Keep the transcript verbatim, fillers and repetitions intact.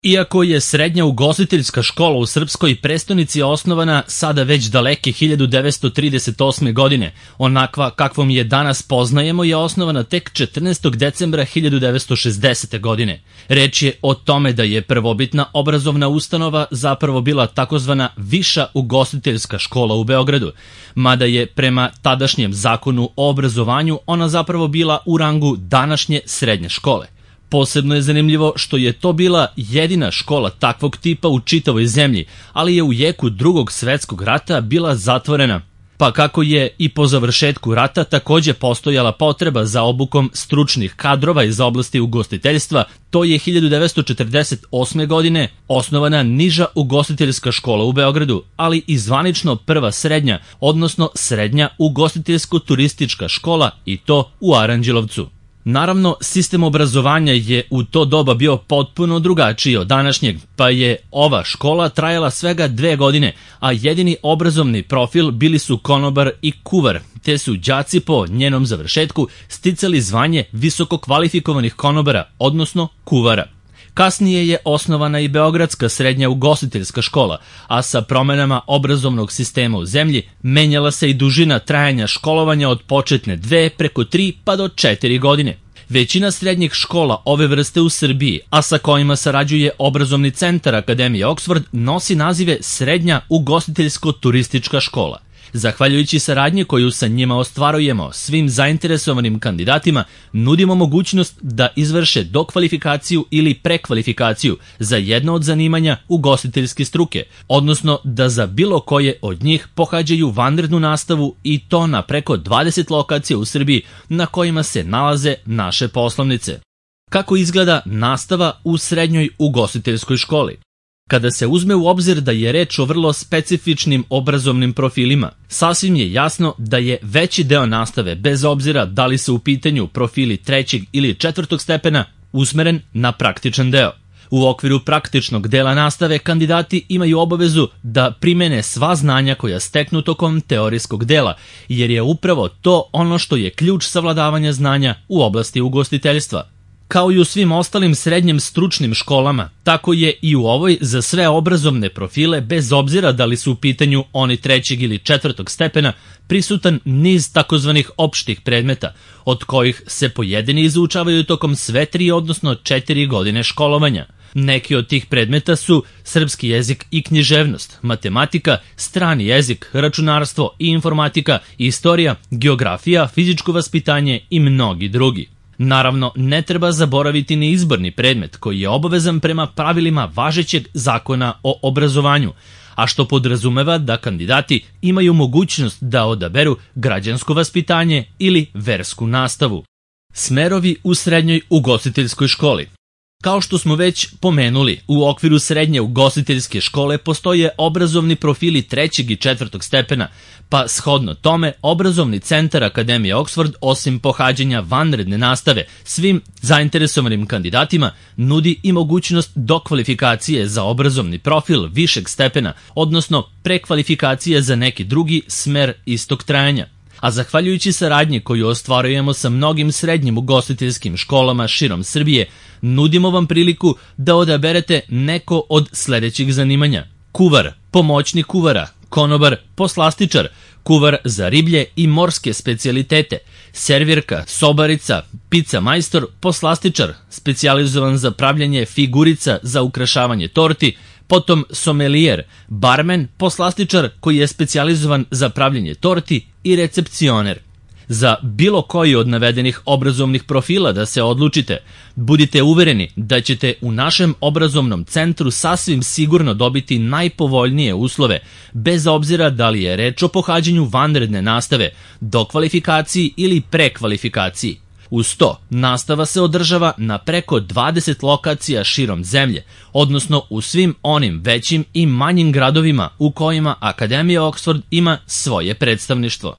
Iako je srednja ugostiteljska škola u srpskoj prestonici osnovana sada već daleke hiljadu devetsto trideset osme. godine, onakva kakvom je danas poznajemo je osnovana tek četrnaestog decembra hiljadu devetsto šezdesete. godine. Reč je o tome da je prvobitna obrazovna ustanova zapravo bila takozvana Viša ugostiteljska škola u Beogradu, mada je prema tadašnjem zakonu o obrazovanju ona zapravo bila u rangu današnje srednje škole. Posebno je zanimljivo što je to bila jedina škola takvog tipa u čitavoj zemlji, ali je u jeku Drugog svetskog rata bila zatvorena. Pa kako je i po završetku rata takođe postojala potreba za obukom stručnih kadrova iz oblasti ugostiteljstva, to je hiljadu devetsto četrdeset osme. godine osnovana niža ugostiteljska škola u Beogradu, ali i zvanično prva srednja, odnosno srednja ugostiteljsko-turistička škola, i to u Aranđelovcu. Naravno, sistem obrazovanja je u to doba bio potpuno drugačiji od današnjeg, pa je ova škola trajala svega dve godine, a jedini obrazovni profil bili su konobar i kuvar, te su đaci po njenom završetku sticali zvanje visoko kvalifikovanih konobara, odnosno kuvara. Kasnije je osnovana i Beogradska srednja ugostiteljska škola, a sa promenama obrazovnog sistema u zemlji menjala se i dužina trajanja školovanja od početne dve preko tri pa do četiri godine. Većina srednjih škola ove vrste u Srbiji, a sa kojima sarađuje obrazovni centar Akademije Oksford, nosi nazive Srednja ugostiteljsko-turistička škola. Zahvaljujući saradnji koju sa njima ostvarujemo, svim zainteresovanim kandidatima nudimo mogućnost da izvrše dokvalifikaciju ili prekvalifikaciju za jedno od zanimanja ugostiteljske struke, odnosno da za bilo koje od njih pohađaju vanrednu nastavu, i to na preko dvadeset lokacija u Srbiji na kojima se nalaze naše poslovnice. Kako izgleda nastava u srednjoj ugostiteljskoj školi? Kada se uzme u obzir da je reč o vrlo specifičnim obrazovnim profilima, sasvim je jasno da je veći deo nastave, bez obzira da li se u pitanju profili trećeg ili četvrtog stepena, usmeren na praktičan deo. U okviru praktičnog dela nastave kandidati imaju obavezu da primene sva znanja koja steknu tokom teorijskog dela, jer je upravo to ono što je ključ savladavanja znanja u oblasti ugostiteljstva. Kao i u svim ostalim srednjim stručnim školama, tako je i u ovoj za sve obrazovne profile, bez obzira da li su u pitanju oni trećeg ili četvrtog stepena, prisutan niz takozvanih opštih predmeta, od kojih se pojedini izučavaju tokom sve tri, odnosno četiri godine školovanja. Neki od tih predmeta su srpski jezik i književnost, matematika, strani jezik, računarstvo i informatika, istorija, geografija, fizičko vaspitanje i mnogi drugi. Naravno, ne treba zaboraviti ni izborni predmet koji je obavezan prema pravilima važećeg zakona o obrazovanju, a što podrazumeva da kandidati imaju mogućnost da odaberu građansko vaspitanje ili versku nastavu. Smerovi u srednjoj ugostiteljskoj školi. Kao što smo već pomenuli, u okviru srednje ugostiteljske škole postoje obrazovni profili trećeg i četvrtog stepena, pa shodno tome obrazovni centar Akademije Oksford, osim pohađanja vanredne nastave, svim zainteresovanim kandidatima nudi i mogućnost dokvalifikacije za obrazovni profil višeg stepena, odnosno prekvalifikacije za neki drugi smer istog trajanja. A zahvaljujući saradnji koju ostvarujemo sa mnogim srednjim ugostiteljskim školama širom Srbije, nudimo vam priliku da odaberete neko od sledećih zanimanja: kuvar, pomoćnik kuvara, konobar, poslastičar, kuvar za riblje i morske specijalitete, servirka, sobarica, pica majstor, poslastičar, specijalizovan za pravljanje figurica za ukrašavanje torti, potom somelijer, barmen, poslastičar koji je specijalizovan za pravljanje torti i recepcioner. Za bilo koji od navedenih obrazovnih profila da se odlučite, budite uvereni da ćete u našem obrazovnom centru sasvim sigurno dobiti najpovoljnije uslove, bez obzira da li je reč o pohađanju vanredne nastave, dokvalifikaciji ili prekvalifikaciji. Uz to, nastava se održava na preko dvadeset lokacija širom zemlje, odnosno u svim onim većim i manjim gradovima u kojima Akademija Oksford ima svoje predstavništvo.